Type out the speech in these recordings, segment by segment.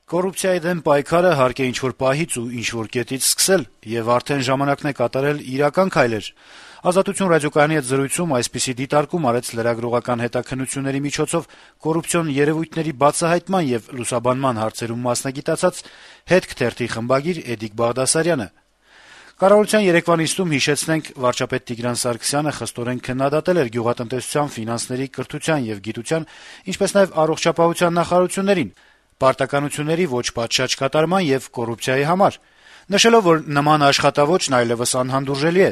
Կոռուպցիայի դեմ պայքարը հարկ է ինչ-որ պահից ու ինչ-որ կետից սկսել, եւ արդեն ժամանակն է կատարել իրական քայլեր։ «Ազատություն» ռադիոկայանի հետ զրույցում այսպիսի դիտարկում արեց լրագրողական հետաքննությունների միջոցով կոռուպցիոն երեւույթների բացահայտման եւ լուսաբանման հարցերում մասնագիտացած «Հետք» թերթի խմբագիր Էդիկ Բաղդասարյանը։ Կառավարության երեկվա նիստում, հիշեցնենք, վարչապետ Տիգրան Սարգսյանը խստորեն քննադատել էր գյուղատնտեսության, ֆինանսների, կրթության եւ գիտության, ինչպես նաեւ առողջապահության նախարարություններին, պարտականությունների ոչ պատշաճ կատարման եւ կոռուպցիայի համար, նշելով, որ նման աշխատավոճն այլեւս անհանդուրժելի է։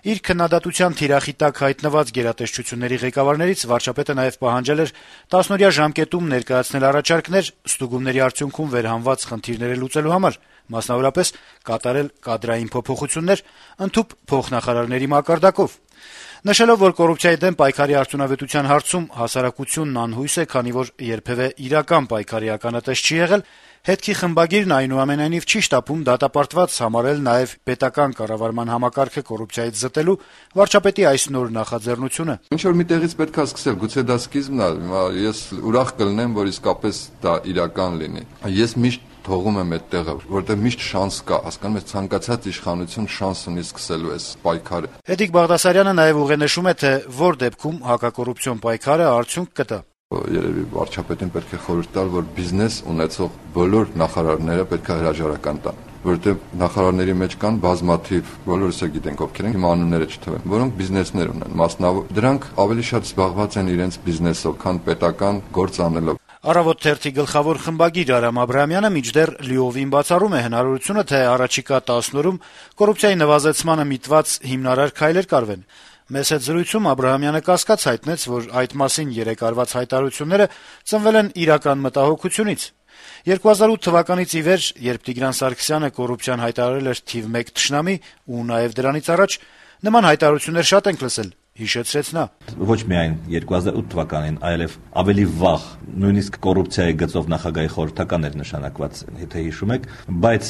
Իր քննադատության թիրախի տակ հայտնված գերատեսչությունների ղեկավարներից վարչապետը նաեւ պահանջել էր 10-օրյա ժամկետում ներկայացնել առաջարկներ ստուգումների արդյունքում վերհանված խնդիրները լուծելու համար, մասնավորապես կատարել կադրային փոփոխություններ, ընդհուպ փոխնախարարների մակարդակով։ Նշելով, որ կոռուպցիայի դեմ պայքարի արդյունավետության հարցում հասարակությունն անհույս է, քանի որ երբեւէ իրական պայքարի ականատես չի եղել, «Հետքի» խմբագիրն այնուամենայնիվ չի շտապում դատապարտված համարել նաեւ պետական կառավարման համակարգը կոռուպցիայից զտելու վարչապետի այս նոր նախաձեռնությունը։ Ինչ-որ մի տեղից պետք է սկսել, գուցե դա սկիզբն է, ես ուրախ կլինեմ, որ իսկապես դա իրական լինի։ Ես միշտ թողում եմ այդ տեղը, որտեղ միշտ շանս կա, հասկանում եք, ցանկացած իշխանություն շանս ունի սկսելու այս պայքարը։ Էդիկ Բաղդասարյանը նաեւ ուղենշում է, թե որ դեպքում հակակոռուպցիոն պայքարը արդյունք կտա։ Երևի վարչապետին պետք է խորհուրդ տալ, որ բիզնես ունեցող բոլոր նախարարները պետք է հրաժարական տան, որովհետեւ նախարարների մեջ կան բազմաթիվ, բոլորս է գիտենք ովքեր են, հիմա անունները չթվեն, որոնք բիզնեսներ ունեն, մասնավոր դրանք ավելի շատ զբաղված են իրենց բիզնեսով, քան պետական գործ անելով։ «Առավոտ» թերթի գլխավոր խմբագիր Արամ Աբրահամյանը մինչդեռ լիովին բացառում է հնարավորությունը, թե առաջիկա 10 օրում կոռուպցիայի նվազեցմանը միտված հիմնարար քայլեր կարվեն։ Մեզ հետ զրույցում Աբրահամյանը կասկած հայտնեց, որ այդ մասին երեկ արված հայտարարությունները ծնվել են իրական մտահոգությունից։ 2008 թվականից ի վեր, երբ Տիգրան Սարգսյանը կոռուպցիան հայտարարել էր թիվ 1 թշնամի ու նաեւ դրանից առաջ, նման հայտարարություններ շատ ենք լսել, հիշեցրեց նա։ Ոչ միայն 2008 թվականին, այլև ավելի վաղ, նույնիսկ կոռուպցիայի գծով նախագահի խորհրդական էր նշանակված, եթե հիշում եք, բայց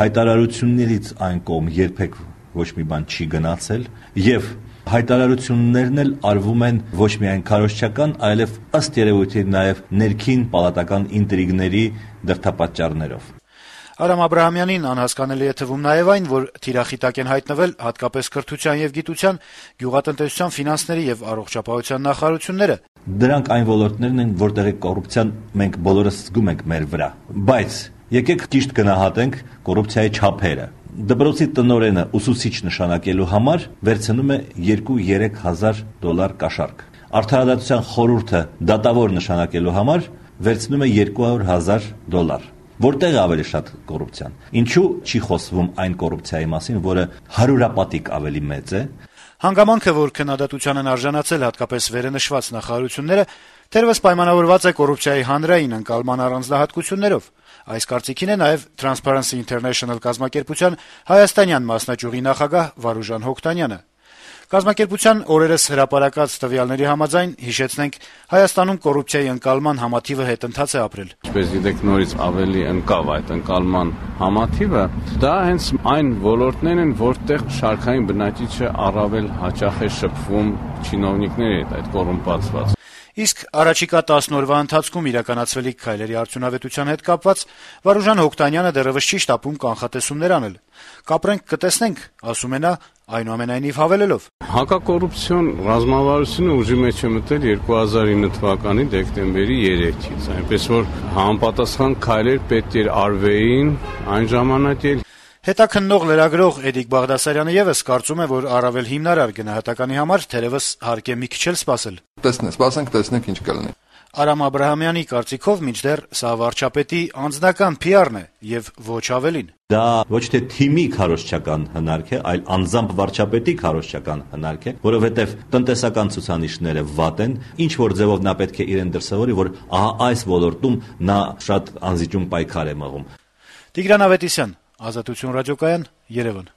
հայտարարություններից այն կողմ երբեք ոչ մի բան չի գնացել եւ հայտարարություններն էլ արվում են ոչ միայն քարոզչական, այլև ըստ երևույթի նաեւ ներքին պալատական ինտրիգների դրդապատճառներով։ Արամ Աբրահամյանին անհասկանալի է թվում նաեւ այն, որ թիրախի տակ են հայտնվել հատկապես կրթության եւ գիտության, գյուղատնտեսության, ֆինանսների եւ առողջապահության նախարարությունները։ Դրանք այն ոլորտներն են, որտեղ կոռուպցիան մենք բոլորս զգում ենք մեր վրա։ Բայց եկեք ճիշտ գնահատենք կոռուպցիայի չափերը։ Դպրոցի տնօրենը ուսուցիչ նշանակելու համար վերցնում է 2-3 հազար դոլար կաշառք։ Արդարադատության խորհուրդը դատավոր նշանակելու համար վերցնում է 200,000 դոլար։ Որտեղ է ավելի շատ կոռուպցիան։ Ինչու չի խոսվում այն կոռուպցիայի մասին, որը հարյուրապատիկ ավելի մեծ է։ Հանգամանքը, որ քննադատության են արժանացել հատկապես վերենշված նախարարությունները, թերևս պայմանավորված է կոռուպցիայի հանրային ընկալման առանձնահատկություններով։ Այս կարծիքին է նաեւ Transparency International կազմակերպության հայաստանյան մասնաճյուղի նախագահ Վարուժան Հոկտանյանը։ Կազմակերպության օրերս հրապարակած տվյալների համաձայն, հիշեցնենք, Հայաստանում կոռուպցիայի ընկալման համաթիվը հետընթաց է ապրել։ Ինչպես գիտեք, նորից ավելի ընկավ այդ ընկալման համաթիվը, դա հենց այն ոլորտներն են, որտեղ շարքային բնակիչը առավել հաճախ է շփվում չինովնիկների հետ, այդ կոռումպացված։ Իսկ առաջիկա 10 օրվա ընթացքում իրականացվելիք քայլերի արդյունավետության հետ կապված Վարուժան Հոկտանյանը դեռևս չի շտապում կանխատեսումներ անել։ «Կապրենք, կտեսնենք», ասում է նա, այնուամենայնիվ հավելելով. Հակակոռուպցիոն ռազմավարությունը ուժի մեջ է մտել 2009 թվականի դեկտեմբերի 3-ից, այնպես որ համապատասխան քայլեր պետք էր արվեին այն ժամանակ էլ։ Հետաքննող լրագրող Էդիկ Բաղդասարյանը եւս կարծում է, որ առավել հիմնարար գնահատականի համար թերևս հարկ է մի քիչ էլ սպասել։ Սպասենք, տեսնենք ինչ կլինի։ Արամ Աբրահամյանի կարծիքով մինչդեռ սա վարչապետի անձնական PR-ն է եւ ոչ ավելին։ Դա ոչ թե թիմի քարոզչական հնարք է, այլ անձամբ վարչապետի քարոզչական հնարք է, որովհետեւ տնտեսական ցուցանիշները վատ են, ինչ որ ձևով նա պետք է իրեն դրսևորի, որ ահա այս ոլորտում նա շատ անզիջում պայքար է մղում։ Տիգրան Ավետիսյան, Ազատություն ռադիոկայան, Երևան։